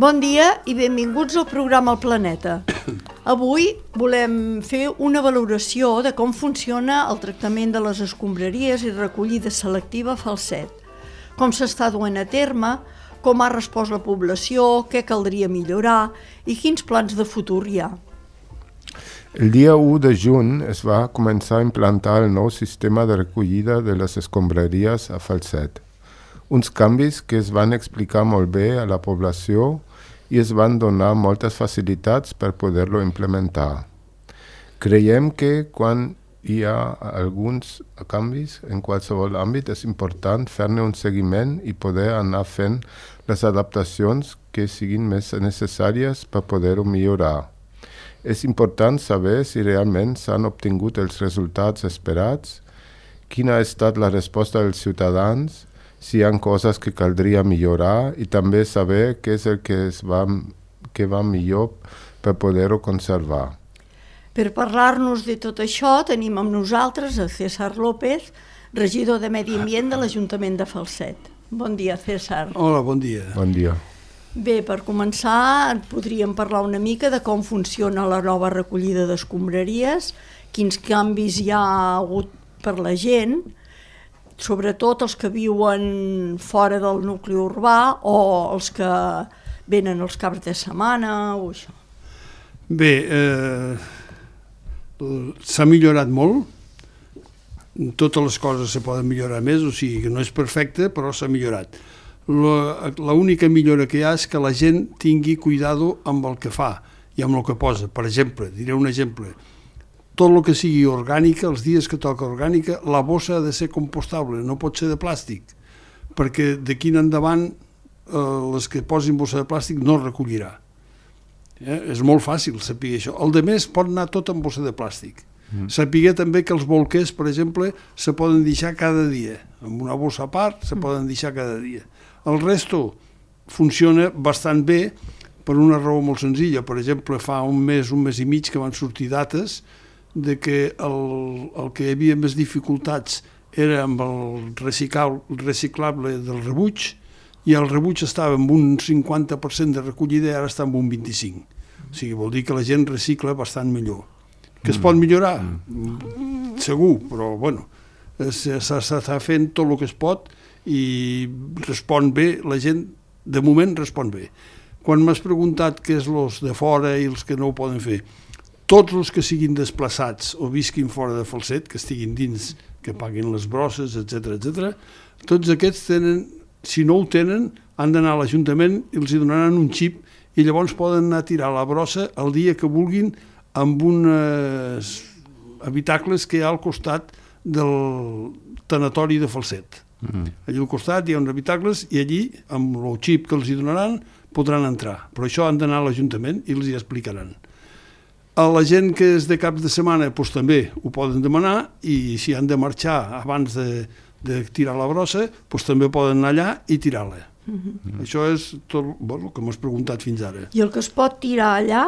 Bon dia i benvinguts al programa El Planeta. Avui volem fer una valoració de com funciona el tractament de les escombraries i recollida selectiva a Falset, com s'està duent a terme, com ha respost la població, què caldria millorar i quins plans de futur hi ha. El dia 1 de juny es va començar a implantar el nou sistema de recollida de les escombraries a Falset. Uns canvis que es van explicar molt bé a la població i es van donar moltes facilitats per poder-lo implementar. Creiem que quan hi ha alguns canvis en qualsevol àmbit és important fer-ne un seguiment i poder anar fent les adaptacions que siguin més necessàries per poder-ho millorar. És important saber si realment s'han obtingut els resultats esperats, quina ha estat la resposta dels ciutadans, si hi ha coses que caldria millorar i també saber què és el que va millor per poder-ho conservar. Per parlar-nos de tot això tenim amb nosaltres a César López, regidor de Medi Ambient de l'Ajuntament de Falset. Bon dia, César. Hola, bon dia. Bon dia. Bé, per començar, podríem parlar una mica de com funciona la nova recollida d'escombraries, quins canvis hi ha hagut per la gent, sobretot els que viuen fora del nucli urbà o els que venen els caps de setmana o això. Bé, s'ha millorat molt, totes les coses se poden millorar més, o sigui que no és perfecte, però s'ha millorat. L'única millora que hi ha és que la gent tingui cuidado amb el que fa i amb el que posa. Per exemple, diré un exemple, tot el que sigui orgànica, els dies que toca orgànica, la bossa ha de ser compostable, no pot ser de plàstic, perquè d'aquí en endavant les que posin bossa de plàstic no es recollirà. És molt fàcil saber això. El de més pot anar tot amb bossa de plàstic. Saber també que els bolquers, per exemple, se poden deixar cada dia. Amb una bossa a part se poden deixar cada dia. El resto funciona bastant bé per una raó molt senzilla. Per exemple, fa un mes i mig que van sortir dates de que el que hi havia més dificultats era amb el reciclable del rebuig i el rebuig estava amb un 50% de recollida i ara està amb un 25%. O sigui, vol dir que la gent recicla bastant millor. Que es pot millorar? Segur, però bueno, s'està fent tot el que es pot i respon bé, la gent de moment respon bé. Quan m'has preguntat què és els de fora i els que no ho poden fer, tots els que siguin desplaçats o visquin fora de Falset, que estiguin dins, que paguin les brosses, etc., tots aquests tenen, si no ho tenen, han d'anar a l'Ajuntament i els donaran un xip i llavors poden anar a tirar la brossa el dia que vulguin amb uns habitacles que hi ha al costat del tanatori de Falset. Allí al costat hi ha uns habitacles i allí, amb el xip que els donaran, podran entrar. Però això han d'anar a l'Ajuntament i els hi explicaran. A la gent que és de caps de setmana doncs també ho poden demanar i si han de marxar abans de tirar la brossa doncs també poden anar allà i tirar-la. Això és tot el que m'has preguntat fins ara. I el que es pot tirar allà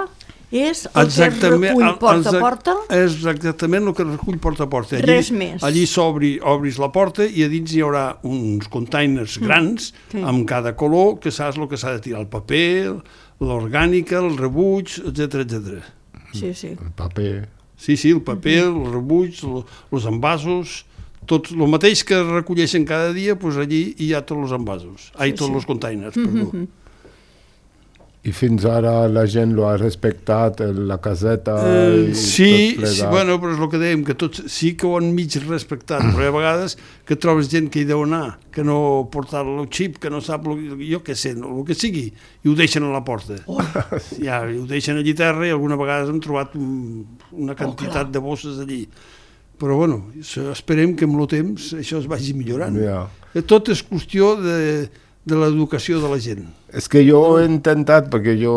és el que es recull porta a porta? És exactament el que es recull porta a porta. Res més. Allí obris la porta i a dins hi haurà uns containers grans amb cada color que saps el que s'ha de tirar, el paper, l'orgànica, el rebuig, etc. Sí. El paper. Sí, el paper, el rebuig, els envasos, tot el mateix que recolleixen cada dia, doncs allí hi ha tots els envasos, tots els containers, perdó. I fins ara la gent lo ha respectat, la caseta i sí, tot plegat. Bueno, però és el que dèiem, que tots sí que ho han mig respectat, però hi ha vegades que trobes gent que hi deu anar, que no porta el xip, que no sap, jo què sé, el que sigui, i ho deixen a la porta. Ja, i ho deixen allí a terra i alguna vegada hem trobat una quantitat de bosses allí. Però bueno, esperem que amb el temps això es vagi millorant. Tot és qüestió de l'educació de la gent. És que jo he intentat, perquè jo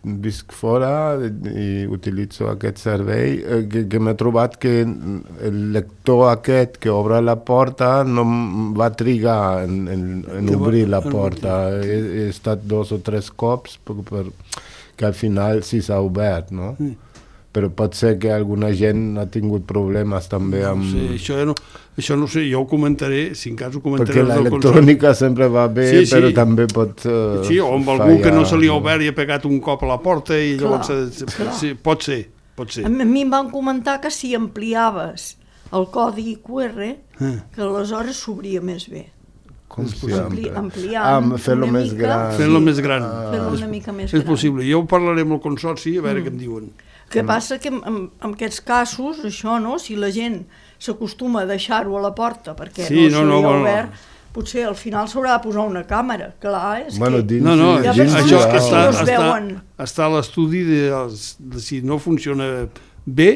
visc fora i utilitzo aquest servei, que m'he trobat que el lector aquest que obre la porta no va trigar en obrir la porta. He estat 2 o 3 cops que al final sí s'ha obert, no? però pot ser que alguna gent ha tingut problemes també amb... No sé, això no sé, jo ho comentaré, si en cas ho comentaré... Perquè l'electrònica sempre va bé, sí, però també pot sí, o amb algú que no se li ha obert i ha pegat un cop a la porta i llavors... Sí, pot ser. A mi em van comentar que si ampliaves el codi QR, que aleshores s'obria més bé. Com si ampliant fer-lo més gran. Fer-lo més gran. Fer-lo una mica més gran. És possible. Jo ho parlaré amb el consorci, a veure què em diuen. Que passa que en aquests casos, això, no? Si la gent s'acostuma a deixar-ho a la porta perquè no se li ha obert, potser al final s'haurà de posar una càmera. Clar, és que... Això està a l'estudi de si no funciona bé,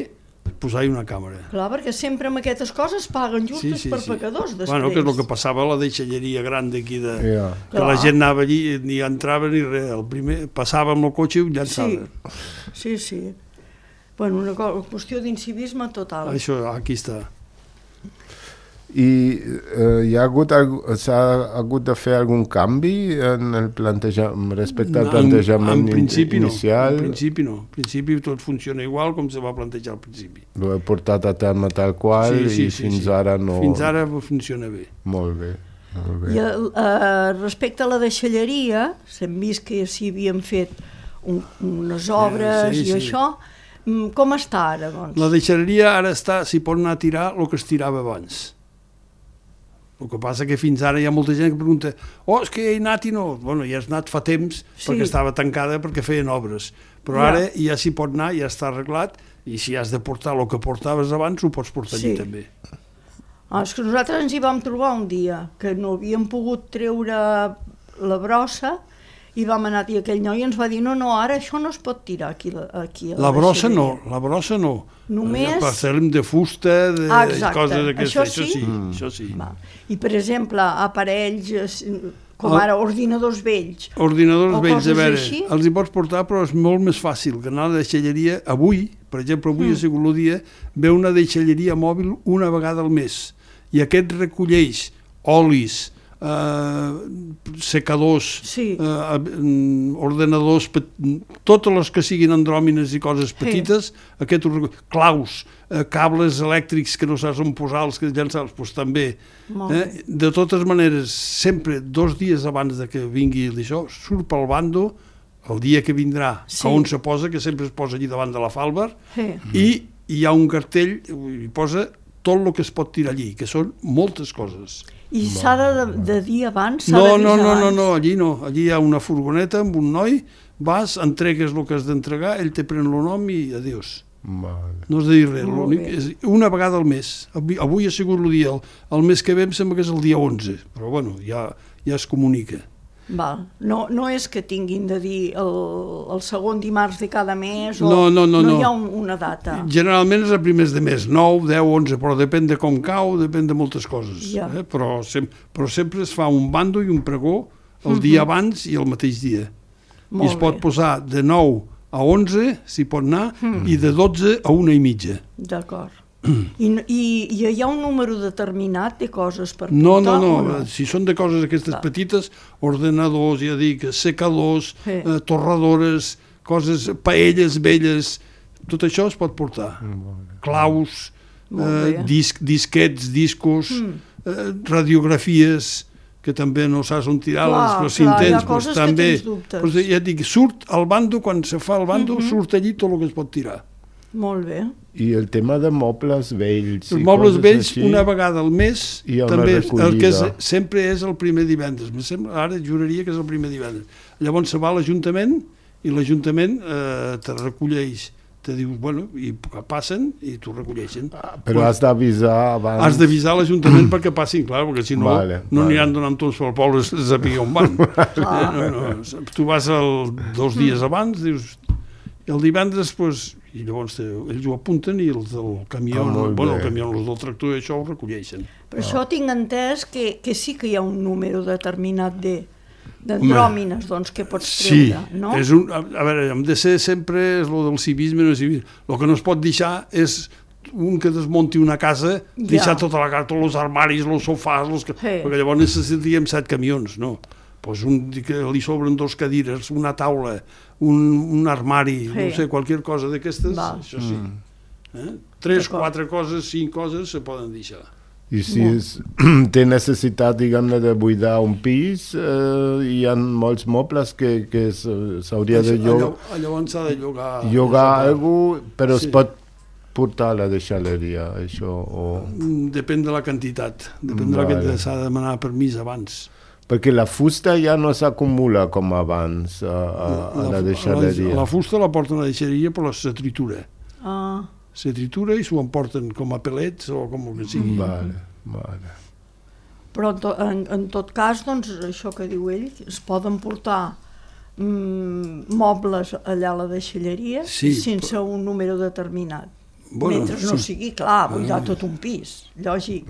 posar-hi una càmera. Clar, perquè sempre amb aquestes coses paguen justes per pecadors després. Bueno, que és el que passava a la deixalleria gran d'aquí, que la gent anava allí, ni entrava ni res. El primer passava amb el cotxe i ho llançava. Sí. Bueno, una qüestió d'incivisme total. Això, aquí està. I s'ha hagut de fer algun canvi en el plantejament, respecte al plantejament inicial? En principi no. En principi tot funciona igual com se va plantejar al principi. Ho he portat a terme tal qual i fins ara no... Fins ara funciona bé. Molt bé. I respecte a la deixalleria, s'hem vist que s'hi havien fet unes obres i això, com està ara, doncs? La deixalleria ara està, s'hi pot anar a tirar el que es tirava abans. El que passa que fins ara hi ha molta gent que pregunta és que hi he anat i no... Bueno, ja has anat fa temps perquè estava tancada perquè feien obres. Però ara ja s'hi pot anar, ja està arreglat, i si has de portar el que portaves abans, ho pots portar allí també. És que nosaltres ens hi vam trobar un dia, que no havíem pogut treure la brossa, i vam anar i aquell noi ens va dir no, ara això no es pot tirar aquí a la brossa no, només... Parcel·lem de fusta, de coses d'aquestes, això sí. I per exemple, aparells com ara ordinadors vells. Ordinadors vells, a veure, els hi pots portar, però és molt més fàcil que anar a la deixalleria avui, per exemple, avui ha sigut el dia, ve una deixalleria mòbil una vegada al mes, i aquest recolleix olis, secadors, ordenadors, totes les que siguin andròmines i coses petites, claus, cables elèctrics que no saps on posar, els que llançar-los, doncs també. De totes maneres, sempre 2 dies abans de que vingui això, surt pel bando el dia que vindrà, a on se posa, que sempre es posa allí davant de la falba, i hi ha un cartell, hi posa tot el que es pot tirar allí, que són moltes coses. I s'ha de dir abans? No, allí no. Allí hi ha una furgoneta amb un noi, vas, entregues el que has d'entregar, ell te pren el nom i adiós. No has de dir res, és una vegada al mes. Avui ha sigut el dia, el mes que ve em sembla que és el dia 11, però bueno, ja es comunica. No és que tinguin de dir el segon dimarts de cada mes o no hi ha una data. Generalment és a primers de mes, 9, 10, 11, però depèn de com cau, depèn de moltes coses. Però sempre es fa un bando i un pregó el dia abans i el mateix dia. I es pot posar de 9 a 11, s'hi pot anar, i de 12 a 1:30. D'acord. I hi ha un número determinat de coses per portar? No. Si són de coses aquestes petites, ordenadors, ja dic, secadors, torradores, coses, paelles velles, tot això es pot portar. Claus, disquets, discos, radiografies, que també no saps on tirar-les, però si intents, també. Ja dic, surt al bando, quan se fa el bando, surt allí tot el que es pot tirar. Molt bé. I el tema de mobles vells? Els mobles vells, una vegada al mes, també el que sempre és el primer divendres. Ara juraria que és el primer divendres. Llavors se va a l'Ajuntament i l'Ajuntament te recolleix, te diu, i passen i t'ho recolleixen. Però has d'avisar abans. Has d'avisar l'Ajuntament perquè passin, clar, perquè si no, no aniran donant tots pel poble a saber on van. Tu vas 2 dies abans, dius, el divendres, i llavors ells ho apunten i els del camió, els del tractor i això ho recolleixen. Per això tinc entès que sí que hi ha un número determinat d'andròmines que pots treure, no? Sí, a veure, hem de ser sempre el del civisme, el que no es pot deixar és un que desmunti una casa, deixar tota la casa, tots els armaris, els sofàs, perquè llavors necessitaríem 7 camions, no? pues que li sobren 2 cadires, una taula, un armari, no sé, qualsevol cosa d'aquestes, això sí. 3, 4 coses, 5 coses se poden deixar. I si té necessitat, diguem-ne, de buidar un pis, hi ha molts mobles que s'hauria de llogar. Llavors s'ha de llogar... Llogar alguna cosa, però es pot portar a la deixalleria, això? Depèn de la quantitat. Depèn de la quantitat. S'ha de demanar permís abans. Perquè la fusta ja no s'acumula com abans a la deixalleria. La fusta la porten a la deixalleria, però se tritura. Se tritura i s'ho emporten com a pellets o com el que sigui. Vale. Però en tot cas, doncs, això que diu ell, es poden portar mobles allà a la deixalleria sense un número determinat. Mentre no sigui, clar, buidar tot un pis, lògic.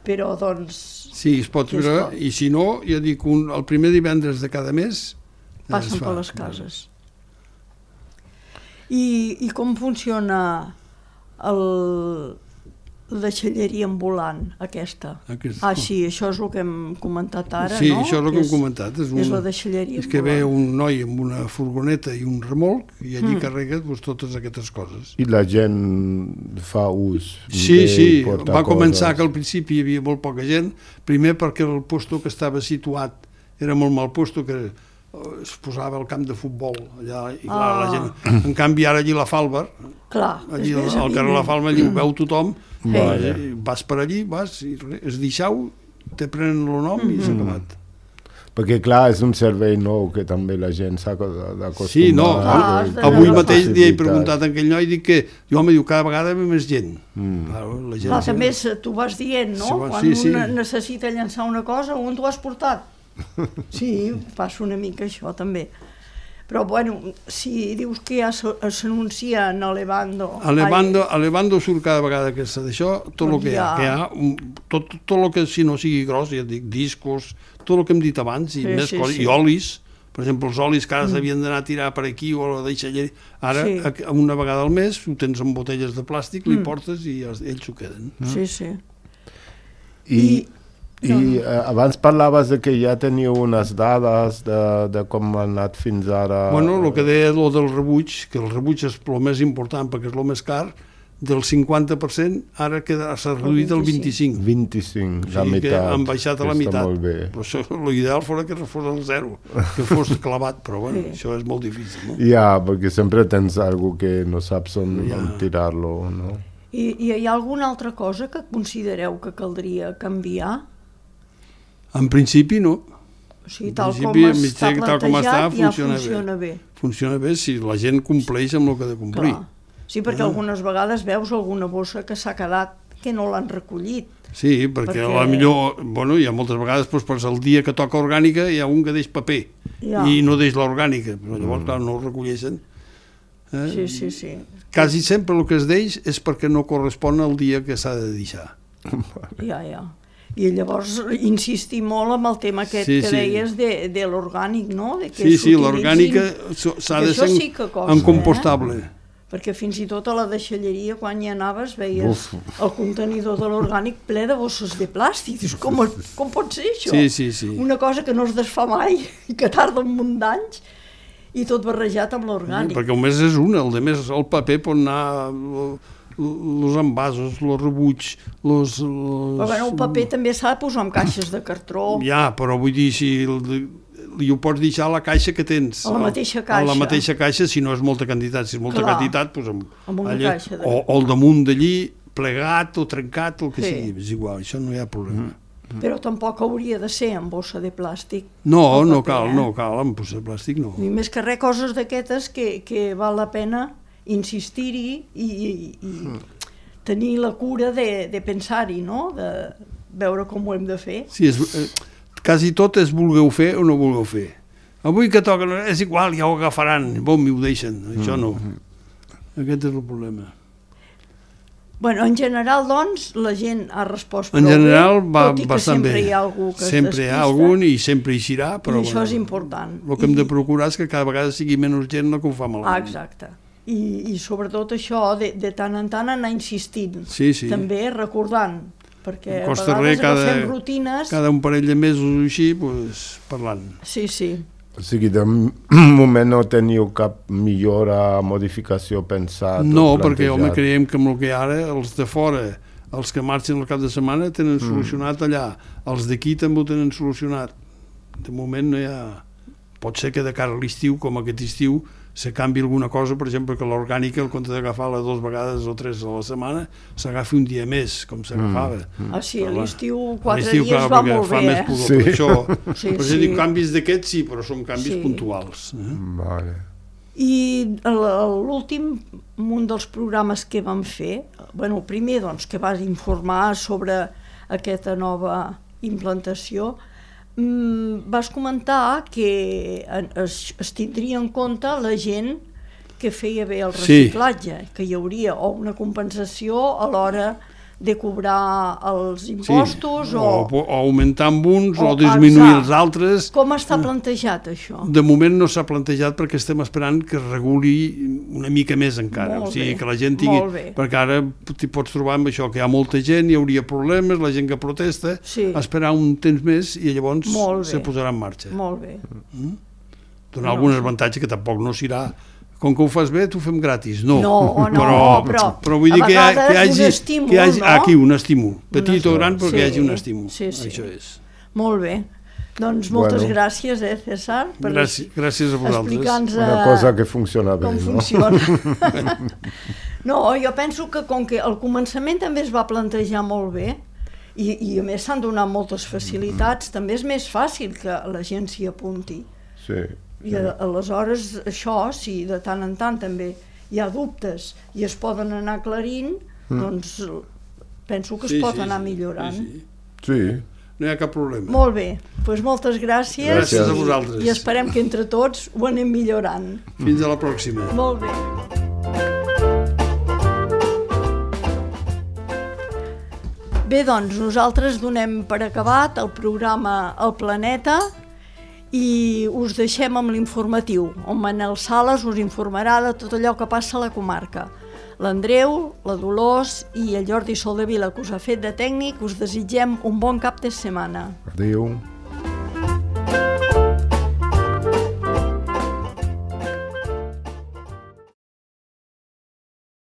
Però, doncs... Sí, es pot fer, i si no, ja dic, el primer divendres de cada mes... Passen per les cases. I com funciona la deixalleria ambulant, aquesta? Sí, això és el que hem comentat ara, no? Sí, això és el que hem comentat. És la deixalleria ambulant. És que ve un noi amb una furgoneta i un remolc i allí carrega totes aquestes coses. I la gent fa ús? Sí, va començar que al principi hi havia molt poca gent, primer perquè el lloc que estava situat era molt mal lloc, que es posava al camp de futbol allà, i clar, la gent... En canvi, ara allí la Falber, allí al carrer La Falber, allí ho veu tothom, vas per allí, es deixau, te prenen el nom i s'ha acabat. Perquè, clar, és un servei nou que també la gent s'ha d'acostumar. Sí, no, avui mateix li he preguntat a aquell noi, dic que, home, diu, cada vegada ve més gent. Clar, també tu vas dient, no? Quan un necessita llançar una cosa, on t'ho has portat? Sí, passa una mica això també. Però bueno, si dius que ja s'anuncia a Levando... A Levando surt cada vegada que s'ha d'això, tot el que hi ha, tot el que si no sigui gros, ja dic, discos, tot el que hem dit abans, i més coses, i olis, per exemple, els olis que ara s'havien d'anar a tirar per aquí o a la deixalleria, ara una vegada al mes ho tens en botelles de plàstic, li portes i ells s'ho queden. Sí. I abans parlaves de que ja teniu unes dades de com ha anat fins ara... Bueno, el que deia del rebuig, que el rebuig és el més important perquè és el més car, del 50% ara s'ha reduït al 25%. 25%, la meitat. Que han baixat a la meitat. Però això, l'ideal fos que fos el 0, que fos clavat, però bueno, això és molt difícil. Ja, perquè sempre tens algú que no saps on tirar-lo, no? I hi ha alguna altra cosa que considereu que caldria canviar? En principi no. O sigui, tal com està plantejat ja funciona bé. Funciona bé si la gent compleix amb el que ha de complir. Sí, perquè algunes vegades veus alguna bossa que s'ha quedat que no l'han recollit. Sí, perquè a la millor, bueno, hi ha moltes vegades, doncs, el dia que toca orgànica hi ha un que deix paper i no deix l'orgànica, però llavors, clar, no ho recolleixen. Sí. Quasi sempre el que es deix és perquè no correspon al dia que s'ha de deixar. Ja. I llavors insistir molt amb el tema aquest que deies de l'orgànic, no? Sí, l'orgànica s'ha de ser en compostable. Perquè fins i tot a la deixalleria, quan hi anaves, veies el contenidor de l'orgànic ple de bosses de plàstic. Dius, com pot ser això? Sí. Una cosa que no es desfà mai i que tarda un munt d'anys i tot barrejat amb l'orgànic. Perquè el més és un, el paper pot anar... els envasos, els rebuig, Però bueno, el paper també s'ha de posar en caixes de cartró. Ja, però vull dir, si ho pots deixar a la caixa que tens. A la mateixa caixa. A la mateixa caixa, si no és molta quantitat. Si és molta quantitat, doncs amb una caixa. O al damunt d'allí, plegat o trencat, el que sigui. És igual, això no hi ha problema. Però tampoc hauria de ser en bossa de plàstic. No cal, en bossa de plàstic no. I més que res, coses d'aquestes que val la pena insistir-hi i tenir la cura de pensar-hi, no? De veure com ho hem de fer. Sí, quasi tot és vulgueu fer o no vulgueu fer. Avui que toca, és igual, ja ho agafaran, i ho deixen, això no. Aquest és el problema. Bueno, en general, doncs, la gent ha respost prou bé. En general va tot i que bastant bé. Sempre hi ha algú que es sempre hi ha algun i sempre hi serà, però... I això és important. El que hem de procurar és que cada vegada sigui menys gent la que ho fa malament. Exacte. I sobretot això, de tant en tant anar insistint. Sí. També recordant perquè No a costa vegades res, agafem rutines... cada un parell de mesos o així, parlant. Sí, sí. O sigui, de moment no teniu cap millora, modificació pensat? No, perquè, home, creiem que amb el que ara, els de fora, els que marxen al cap de setmana tenen solucionat allà, els d'aquí també ho tenen solucionat. De moment no hi ha... Pot ser que de cara a l'estiu, com aquest estiu, se canvi alguna cosa, per exemple, que l'orgànica, en compte d'agafar-la 2 vegades o 3 a la setmana, s'agafi un dia més, com s'agafava. Sí, a l'estiu 4 dies clar, va molt bé, més pudor, sí. Per això, sí, per dir, canvis d'aquests sí, però són canvis puntuals. Vale. I l'últim, un dels programes que vam fer, bueno, el primer doncs, que vas informar sobre aquesta nova implantació, vas comentar que es tindria en compte la gent que feia bé el reciclatge, que hi hauria o una compensació a l'hora de cobrar els impostos o augmentar amb uns o disminuir els altres. Com està plantejat això? De moment no s'ha plantejat perquè estem esperant que es reguli una mica més encara, o sigui que la gent tingui, perquè ara t'hi pots trobar amb això, que hi ha molta gent, hi hauria problemes, la gent que protesta, esperar un temps més i llavors se posarà en marxa. Molt bé. Donar algun avantatge que tampoc no serà com que ho fas bé, t'ho fem gratis. No, però vull dir que hi hagi aquí un estímul, petit o gran, però que hi hagi un estímul. Això és. Molt bé. Doncs moltes gràcies, César, per gràcies a vosaltres. explicar-nos una cosa que funciona bé, com funciona. No, jo penso que com que al començament també es va plantejar molt bé i a més s'han donat moltes facilitats, també és més fàcil que la gent s'hi apunti. Sí. I aleshores això, si de tant en tant també hi ha dubtes i es poden anar aclarint, doncs penso que es pot anar millorant. Sí. No hi ha cap problema. Molt bé, doncs moltes gràcies. Gràcies a vosaltres. I esperem que entre tots ho anem millorant. Fins a la pròxima. Molt bé. Bé, doncs nosaltres donem per acabat el programa El Planeta i us deixem amb l'informatiu, on Manel Sales us informarà de tot allò que passa a la comarca. L'Andreu, la Dolors i el Jordi Soldevila, que us ha fet de tècnic, us desitgem un bon cap de setmana. Adéu.